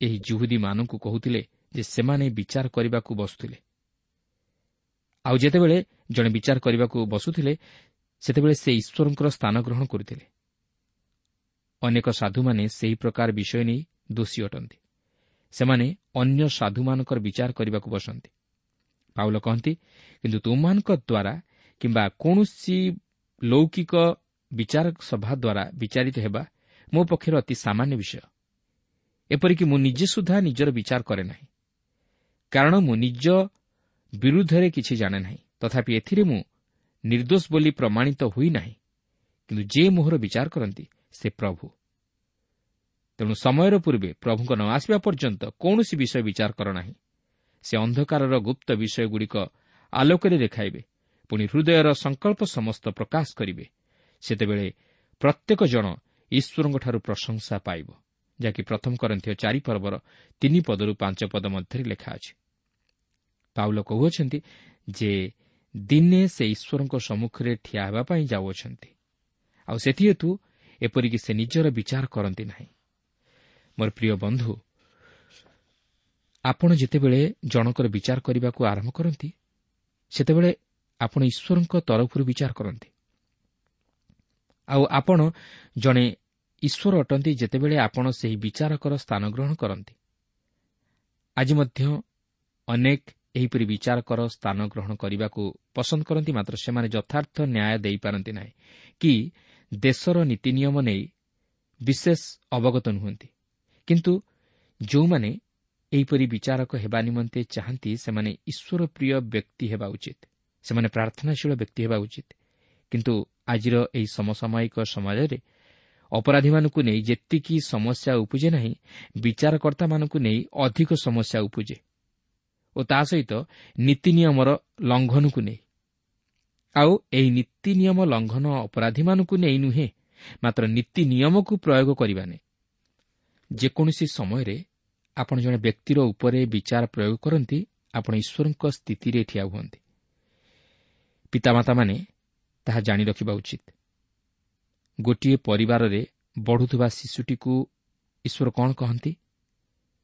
ଏହି ଜିହୁଦୀମାନଙ୍କୁ କହୁଥିଲେ ଯେ ସେମାନେ ବିଚାର କରିବାକୁ ବସୁଥିଲେ। ଆଉ ଯେତେବେଳେ ଜଣେ ବିଚାର କରିବାକୁ ବସୁଥିଲେ, ସେତେବେଳେ ସେ ଈଶ୍ୱରଙ୍କର ସ୍ଥାନ ଗ୍ରହଣ କରୁଥିଲେ। ଅନେକ ସାଧୁମାନେ ସେହି ପ୍ରକାର ବିଷୟ ନେଇ ଦୋଷୀ ଅଟନ୍ତି। ସେମାନେ ଅନ୍ୟ ସାଧୁମାନଙ୍କର ବିଚାର କରିବାକୁ ବସନ୍ତି। ପାଉଲ କହନ୍ତି, କିନ୍ତୁ ତୁମମାନଙ୍କ ଦ୍ୱାରା କିମ୍ବା କୌଣସି ଲୌକିକ ବିଚାର ସଭା ଦ୍ୱାରା ବିଚାରିତ ହେବା ମୋ ପକ୍ଷରେ ଅତି ସାମାନ୍ୟ ବିଷୟ। ଏପରିକି ମୁଁ ନିଜେ ସୁଦ୍ଧା ନିଜର ବିଚାର କରେ ନାହିଁ, କାରଣ ମୁଁ ନିଜ ବିରୁଦ୍ଧରେ କିଛି ଜାଣେ ନାହିଁ। ତଥାପି ଏଥିରେ ମୁଁ ନିର୍ଦ୍ଦୋଷ ବୋଲି ପ୍ରମାଣିତ ହୋଇନାହିଁ, କିନ୍ତୁ ଯେ ମୋହର ବିଚାର କରନ୍ତି ସେ ପ୍ରଭୁ। ତେଣୁ ସମୟର ପୂର୍ବେ ପ୍ରଭୁଙ୍କ ନ ଆସିବା ପର୍ଯ୍ୟନ୍ତ କୌଣସି ବିଷୟ ବିଚାର କର ନାହିଁ। ସେ ଅନ୍ଧକାରର ଗୁପ୍ତ ବିଷୟଗୁଡ଼ିକ ଆଲୋକରେ ଦେଖାଇବେ, ପୁଣି ହୃଦୟର ସଂକଳ୍ପ ସମସ୍ତ ପ୍ରକାଶ କରିବେ। ସେତେବେଳେ ପ୍ରତ୍ୟେକ ଜଣ ଈଶ୍ୱରଙ୍କଠାରୁ ପ୍ରଶଂସା ପାଇବ, ଯାହାକି ପ୍ରଥମ କରିନ୍ଥୀୟ ଚାରି ପର୍ବର ତିନି ପଦରୁ ପାଞ୍ଚ ପଦ ମଧ୍ୟରେ ଲେଖା ଅଛି। ପାଉଲ କହୁଅଛନ୍ତି ଯେ ଦିନେ ସେ ଈଶ୍ୱରଙ୍କ ସମ୍ମୁଖରେ ଠିଆ ହେବା ପାଇଁ ଯାଉଅଛନ୍ତି, ଆଉ ସେଥିହେତୁ ଏପରିକି ସେ ନିଜର ବିଚାର କରନ୍ତି ନାହିଁ। ମୋର ପ୍ରିୟ ବନ୍ଧୁ, ଆପଣ ଯେତେବେଳେ ଜଣଙ୍କର ବିଚାର କରିବାକୁ ଆରମ୍ଭ କରନ୍ତି, ସେତେବେଳେ ଆପଣ ଈଶ୍ୱରଙ୍କ ତରଫରୁ ବିଚାର କରନ୍ତି। ଆଉ ଆପଣ ଜଣେ ଈଶ୍ୱର ଅଟନ୍ତି ଯେତେବେଳେ ଆପଣ ସେହି ବିଚାରକର ସ୍ଥାନ ଗ୍ରହଣ କରନ୍ତି। ଆଜି ମଧ୍ୟ ଅନେକ ଏହିପରି ବିଚାରକର ସ୍ଥାନ ଗ୍ରହଣ କରିବାକୁ ପସନ୍ଦ କରନ୍ତି, ମାତ୍ର ସେମାନେ ଯଥାର୍ଥ ନ୍ୟାୟ ଦେଇପାରନ୍ତି ନାହିଁ କି ଦେଶର ନୀତି ନିୟମ ନେଇ ବିଶେଷ ଅବଗତ ନୁହନ୍ତି। କିନ୍ତୁ ଯେଉଁମାନେ ଏହିପରି ବିଚାରକ ହେବା ନିମନ୍ତେ ଚାହାନ୍ତି, ସେମାନେ ଈଶ୍ୱରପ୍ରିୟ ବ୍ୟକ୍ତି ହେବା ଉଚିତ, ସେମାନେ ପ୍ରାର୍ଥନାଶୀଳ ବ୍ୟକ୍ତି ହେବା ଉଚିତ। କିନ୍ତୁ ଆଜିର ଏହି ସମସାମୟିକ ସମାଜରେ ଅପରାଧୀମାନଙ୍କୁ ନେଇ ଯେତିକି ସମସ୍ୟା ଉପୁଜେ ନାହିଁ, ବିଚାରକର୍ତ୍ତାମାନଙ୍କୁ ନେଇ ଅଧିକ ସମସ୍ୟା ଉପୁଜେ, ଓ ତା ସହିତ ନୀତି ନିୟମର ଲଙ୍ଘନକୁ ନେଇ। ଆଉ ଏହି ନୀତି ନିୟମ ଲଙ୍ଘନ ଅପରାଧୀମାନଙ୍କୁ ନେଇ ନୁହେଁ, ମାତ୍ର ନୀତି ନିୟମକୁ ପ୍ରୟୋଗ କରିବା ନେଇ। ଯେକୌଣସି ସମୟରେ ଆପଣ ଜଣେ ବ୍ୟକ୍ତିର ଉପରେ ବିଚାର ପ୍ରୟୋଗ କରନ୍ତି, ଆପଣ ଈଶ୍ୱରଙ୍କ ସ୍ଥିତିରେ ଠିଆ ହୁଅନ୍ତି। ପିତାମାତାମାନେ ତାହା ଜାଣି ରଖିବା ଉଚିତ। ଗୋଟିଏ ପରିବାରରେ ବଢ଼ୁଥିବା ଶିଶୁଟିକୁ ଈଶ୍ୱର କ'ଣ କହନ୍ତି?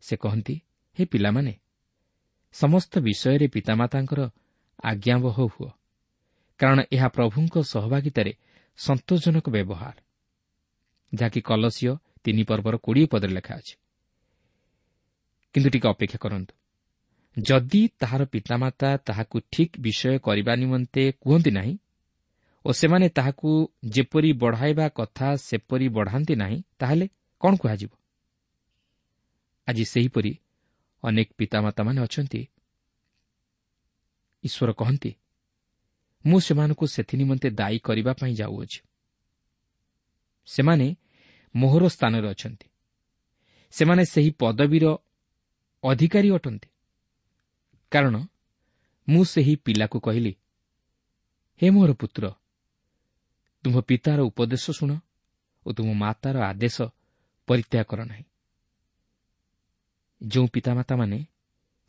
ସେ କହନ୍ତି, ହେ ପିଲାମାନେ, ସମସ୍ତ ବିଷୟରେ ପିତାମାତାଙ୍କର ଆଜ୍ଞାବହ ହୁଅ, କାରଣ ଏହା ପ୍ରଭୁଙ୍କ ସହଭାଗିତାରେ ସନ୍ତୋଷଜନକ ବ୍ୟବହାର, ଯାହାକି କଲସୀୟ ତିନି ପର୍ବର କୋଡ଼ିଏ ପଦରେ ଲେଖା ଅଛି। କିନ୍ତୁ ଟିକେ ଅପେକ୍ଷା କରନ୍ତୁ, ଯଦି ତାହାର ପିତାମାତା ତାହାକୁ ଠିକ୍ ବିଷୟ କରିବା ନିମନ୍ତେ କୁହନ୍ତି ନାହିଁ ଓ ସେମାନେ ତାହାକୁ ଯେପରି ବଢ଼ାଇବା କଥା ସେପରି ବଢ଼ାନ୍ତି ନାହିଁ, ତାହେଲେ କ'ଣ କୁହାଯିବ? ଆଜି ସେହିପରି ଅନେକ ପିତାମାତାମାନେ ଅଛନ୍ତି। ଈଶ୍ୱର କହନ୍ତି, ମୁଁ ସେମାନଙ୍କୁ ସେଥି ନିମନ୍ତେ ଦାୟୀ କରିବା ପାଇଁ ଯାଉଅଛି। ସେମାନେ ମୋହର ସ୍ଥାନରେ ଅଛନ୍ତି, ସେମାନେ ସେହି ପଦବୀର ଅଧିକାରୀ ଅଟନ୍ତି। କାରଣ ମୁଁ ସେହି ପିଲାକୁ କହିଲି, ହେ ମୋର ପୁତ୍ର, ତୁମ୍ଭ ପିତାର ଉପଦେଶ ଶୁଣ ଓ ତୁମ ମାତାର ଆଦେଶ ପରିତ୍ୟାଗ କର ନାହିଁ। ଯେଉଁ ପିତାମାତାମାନେ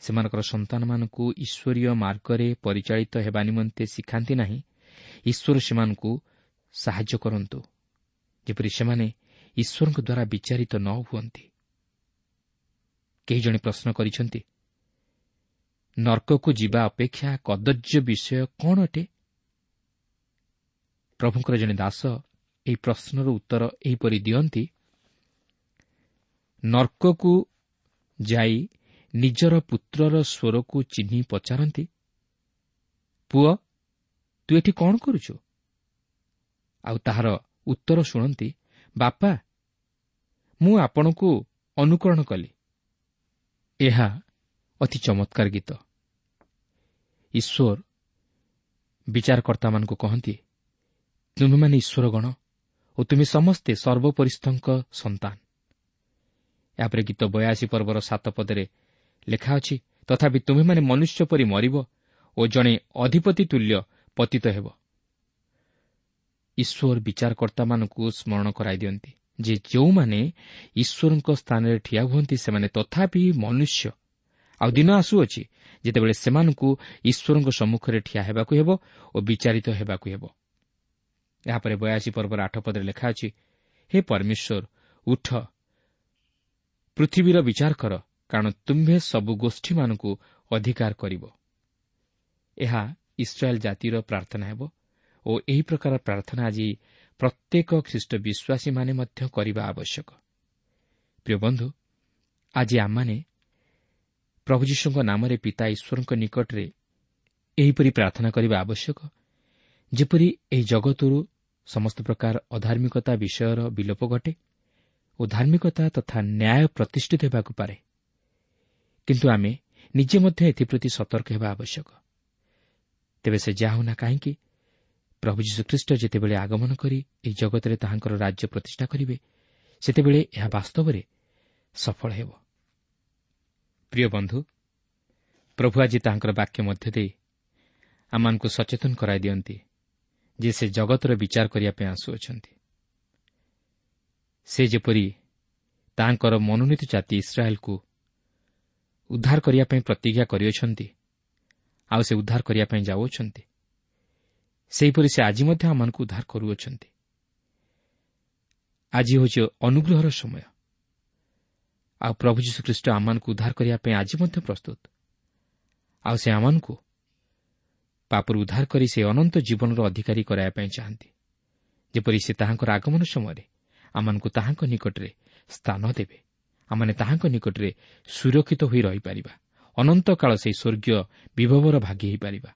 ସେମାନଙ୍କର ସନ୍ତାନମାନଙ୍କୁ ଈଶ୍ୱରୀୟ ମାର୍ଗରେ ପରିଚାଳିତ ହେବା ନିମନ୍ତେ ଶିଖାନ୍ତି ନାହିଁ, ଈଶ୍ୱର ସେମାନଙ୍କୁ ସାହାଯ୍ୟ କରନ୍ତୁ, ଯେପରି ସେମାନେ ଈଶ୍ୱରଙ୍କ ଦ୍ୱାରା ବିଚାରିତ ନ ହୁଅନ୍ତି। କେହି ଜଣେ ପ୍ରଶ୍ନ କରିଛନ୍ତି, ନର୍କକୁ ଯିବା ଅପେକ୍ଷା କଦର୍ଯ୍ୟ ବିଷୟ କ'ଣ ଅଟେ? ପ୍ରଭୁଙ୍କର ଜଣେ ଦାସ ଏହି ପ୍ରଶ୍ନର ଉତ୍ତର ଏହିପରି ଦିଅନ୍ତି, ନର୍କକୁ ଯାଇ ନିଜର ପୁତ୍ରର ସ୍ୱରକୁ ଚିହ୍ନି ପଚାରନ୍ତି, ପୁଅ, ତୁ ଏଠି କ'ଣ କରୁଛୁ? ଆଉ ତାହାର ଉତ୍ତର ଶୁଣନ୍ତି, ବାପା, ମୁଁ ଆପଣଙ୍କୁ ଅନୁକରଣ କଲି। ଏହା ଅତି ଚମତ୍କାର ଗୀତ। ଈଶ୍ୱର ବିଚାରକର୍ତ୍ତାମାନଙ୍କୁ କହନ୍ତି, ତୁମେମାନେ ଈଶ୍ୱରଗଣ ଓ ତୁମେ ସମସ୍ତେ ସର୍ବୋପରିସ୍ଥଙ୍କ ସନ୍ତାନ। ଏହାପରେ ଗୀତ ବୟାଅଶୀ ପର୍ବର ସାତ ପଦରେ ଲେଖା ଅଛି, ତଥାପି ତୁମେମାନେ ମନୁଷ୍ୟ ପରି ମରିବ ଓ ଜଣେ ଅଧିପତି ତୁଲ୍ୟ ପତିତ ହେବ। ଈଶ୍ୱର ବିଚାରକର୍ତ୍ତାମାନଙ୍କୁ ସ୍ମରଣ କରାଇ ଦିଅନ୍ତି ଯେ ଯେଉଁମାନେ ଈଶ୍ୱରଙ୍କ ସ୍ଥାନରେ ଠିଆ ହୁଅନ୍ତି ସେମାନେ ତଥାପି ମନୁଷ୍ୟ। ଆଉ ଦିନ ଆସୁଅଛି ଯେତେବେଳେ ସେମାନଙ୍କୁ ଈଶ୍ୱରଙ୍କ ସମ୍ମୁଖରେ ଠିଆ ହେବାକୁ ହେବ ଓ ବିଚାରିତ ହେବାକୁ ହେବ। ଏହାପରେ ବୟାଅଶୀ ପର୍ବର ଆଠ ପଦରେ ଲେଖା ଅଛି, ହେ ପରମେଶ୍ୱର, ଉଠ, ପୃଥିବୀର ବିଚାର କର, କାରଣ ତୁମ୍ଭେ ସବୁ ଗୋଷ୍ଠୀମାନଙ୍କୁ ଅଧିକାର କରିବ। ଏହା ଇସ୍ରାଏଲ୍ ଜାତିର ପ୍ରାର୍ଥନା ହେବ ଓ ଏହି ପ୍ରକାର ପ୍ରାର୍ଥନା ଆଜି ପ୍ରତ୍ୟେକ ଖ୍ରୀଷ୍ଟ ବିଶ୍ୱାସୀମାନେ ମଧ୍ୟ କରିବା ଆବଶ୍ୟକ। ପ୍ରିୟ ବନ୍ଧୁ, ଆଜି ଆମମାନେ ପ୍ରଭୁ ଯୀଶୁଙ୍କ ନାମରେ ପିତା ଈଶ୍ୱରଙ୍କ ନିକଟରେ ଏହିପରି ପ୍ରାର୍ଥନା କରିବା ଆବଶ୍ୟକ, ଯେପରି ଏହି ଜଗତରୁ ସମସ୍ତ ପ୍ରକାର ଅଧାର୍ମିକତା ବିଷୟର ବିଲୋପ ଘଟେ ଓ ଧାର୍ମିକତା ତଥା ନ୍ୟାୟ ପ୍ରତିଷ୍ଠିତ ହେବାକୁ ପାରେ। କିନ୍ତୁ ଆମେ ନିଜେ ମଧ୍ୟ ଏଥିପ୍ରତି ସତର୍କ ହେବା ଆବଶ୍ୟକ। ତେବେ ସେ ଯାହା ହେଉନା କାହିଁକି, ପ୍ରଭୁ ଯୀଶୁଖ୍ରୀଷ୍ଟ ଯେତେବେଳେ ଆଗମନ କରି ଏହି ଜଗତରେ ତାହାଙ୍କର ରାଜ୍ୟ ପ୍ରତିଷ୍ଠା କରିବେ, ସେତେବେଳେ ଏହା ବାସ୍ତବରେ ସଫଳ ହେବ। ପ୍ରିୟ ବନ୍ଧୁ, ପ୍ରଭୁ ଆଜି ତାହାଙ୍କର ବାକ୍ୟ ମଧ୍ୟ ଦେଇ ଆମମାନଙ୍କୁ ସଚେତନ କରାଇ ଦିଅନ୍ତି ଯେ ସେ ଜଗତର ବିଚାର କରିବା ପାଇଁ ଆସୁଅଛନ୍ତି। ସେ ଯେପରି ତାହାଙ୍କର ମନୋନୀତ ଜାତି ଇସ୍ରାଏଲକୁ ଉଦ୍ଧାର କରିବା ପାଇଁ ପ୍ରତିଜ୍ଞା କରିଅଛନ୍ତି, ଆଉ ସେ ଉଦ୍ଧାର କରିବା ପାଇଁ ଯାଉଅଛନ୍ତି, ସେହିପରି ସେ ଆଜି ମଧ୍ୟ ଆମମାନଙ୍କୁ ଉଦ୍ଧାର କରୁଅଛନ୍ତି। ଆଜି ହେଉଛି ଅନୁଗ୍ରହର ସମୟ, ଆଉ ପ୍ରଭୁ ଯୀଶୁଖ୍ରୀଷ୍ଟ ଆମମାନଙ୍କୁ ଉଦ୍ଧାର କରିବା ପାଇଁ ଆଜି ମଧ୍ୟ ପ୍ରସ୍ତୁତ। ଆଉ ସେ ଆମମାନଙ୍କୁ ପାପରୁ ଉଦ୍ଧାର କରି ସେ ଅନନ୍ତ ଜୀବନର ଅଧିକାରୀ କରାଇବା ପାଇଁ ଚାହାନ୍ତି, ଯେପରି ସେ ତାହାଙ୍କର ଆଗମନ ସମୟରେ ଆମମାନଙ୍କୁ ତାହାଙ୍କ ନିକଟରେ ସ୍ଥାନ ଦେବେ। ଆମମାନେ ତାହାଙ୍କ ନିକଟରେ ସୁରକ୍ଷିତ ହୋଇ ରହିପାରିବା, ଅନନ୍ତକାଳ ସେହି ସ୍ୱର୍ଗୀୟ ବିଭବର ଭାଗୀ ହୋଇପାରିବା।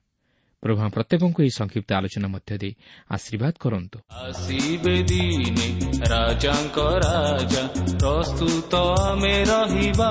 ପ୍ରଭୁ ପ୍ରତ୍ୟେକଙ୍କୁ ଏହି ସଂକ୍ଷିପ୍ତ ଆଲୋଚନା ମଧ୍ୟ ଦେଇ ଆଶୀର୍ବାଦ କରନ୍ତୁ। ଆସିବେ ଦିନେ ରାଜାଙ୍କ ରାଜା, ପ୍ରସ୍ତୁତ ଆମେ ରହିବା।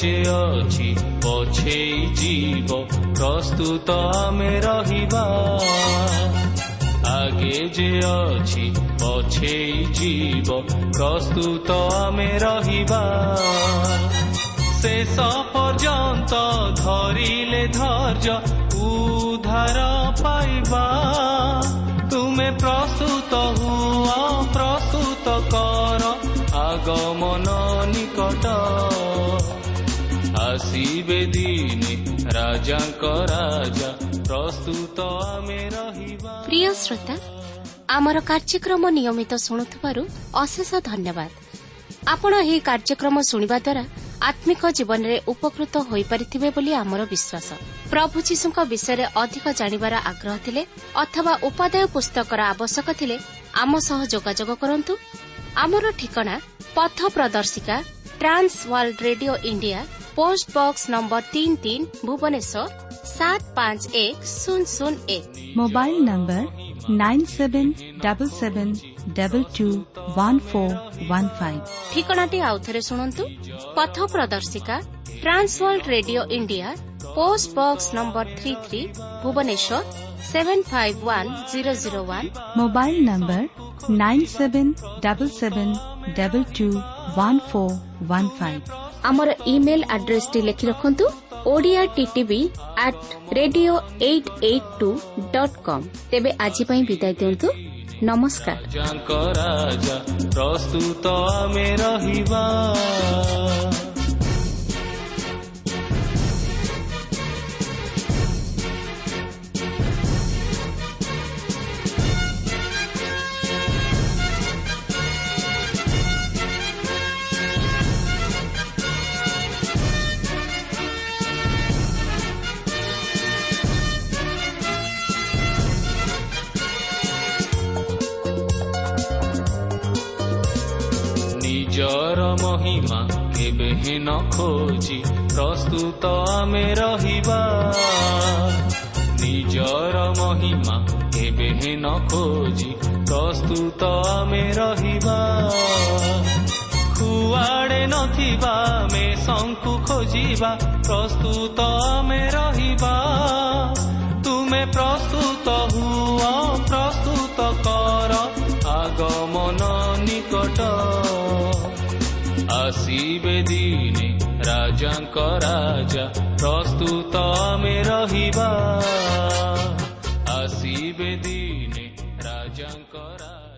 ଯେ ଅଛି ପଛେଇ ଯିବ, ପ୍ରସ୍ତୁତ ଆମେ ରହିବା। ଆଗେ ଯେ ଅଛି ପଛେଇ ଯିବ, ପ୍ରସ୍ତୁତ ଆମେ ରହିବା। ଶେଷ ପର୍ଯ୍ୟନ୍ତ ଧରିଲେ ଧୈର୍ଯ୍ୟ ଉଦ୍ଧାର ପାଇବା। ତୁମେ ପ୍ରସ୍ତୁତ ହୁଅ, ପ୍ରସ୍ତୁତ କର, ଆଗମନ ନିକଟ। ଆସିବେ ଦିନେ ରାଜାଙ୍କ ରାଜା, ପ୍ରସ୍ତୁତ ଆମେ ରହିବା। ପ୍ରିୟ ଶ୍ରୋତା, ଆମର କାର୍ଯ୍ୟକ୍ରମ ନିୟମିତ ଶୁଣୁଥିବାରୁ ଅଶେଷ ଧନ୍ୟବାଦ। ଆପଣ ଏହି କାର୍ଯ୍ୟକ୍ରମ ଶୁଣିବା ଦ୍ୱାରା ଆତ୍ମିକ ଜୀବନରେ ଉପକୃତ ହୋଇପାରିଥିବେ ବୋଲି ଆମର ବିଶ୍ୱାସ। ପ୍ରଭୁ ଯୀଶୁଙ୍କ ବିଷୟରେ ଅଧିକ ଜାଣିବାର ଆଗ୍ରହ ଥିଲେ ଅଥବା ଉପାଦେୟ ପୁସ୍ତକର ଆବଶ୍ୟକ ଥିଲେ ଆମ ସହ ଯୋଗାଯୋଗ କରନ୍ତୁ। ଆମର ଠିକଣା ପଥ ପ୍ରଦର୍ଶିକା, Trans World Radio India, post box number ତିନି ତିନି, ଭୁବନେଶ୍ୱର ସାତ ପାଞ୍ଚ ଏକ ଶୂନ ଶୂନ ଏକ। Mobile number nine seven double seven double two one four one five. ଠିକଣାଟି ଆଉଥରେ ଶୁଣନ୍ତୁ। ପଥ ପ୍ରଦର୍ଶିକା, Trans World Radio India, post box number three three, Bhubaneswar seven five one zero zero one. Mobile number nine seven double seven double two one four one five. ଆମର email ଆଡ୍ରେସଟି ଲେଖି ରଖନ୍ତୁ, Odia TTV at radio eight eight two dot com. ତେବେ ଆଜି ପାଇଁ ବିଦାୟ ଦିଅନ୍ତୁ। ନମସ୍କାର। ରାଜା ପ୍ରସ୍ତୁତ ଆମେ ରହିବା। ନିଜର ମହିମା କେବେ ନ ଖୋଜି ପ୍ରସ୍ତୁତ ଆମେ ରହିବା। ନିଜର ମହିମା କେବେ ନ ଖୋଜି ପ୍ରସ୍ତୁତ ଆମେ ରହିବା। କୁଆଡ଼େ ନଥିବା ମେଷଙ୍କୁ ଖୋଜିବା, ପ୍ରସ୍ତୁତ ଆମେ ରହିବା। ତୁମେ ପ୍ରସ୍ତୁତ ହୁଅ, ପ୍ରସ୍ତୁତ କର, ଆଗମନ ନିକଟ। ଆସିବେ ଦିନେ ରାଜାଙ୍କ ରାଜା, ପ୍ରସ୍ତୁତ ଆମେ ରହିବା। ଆସିବେ ଦିନେ ରାଜାଙ୍କ ରାଜା।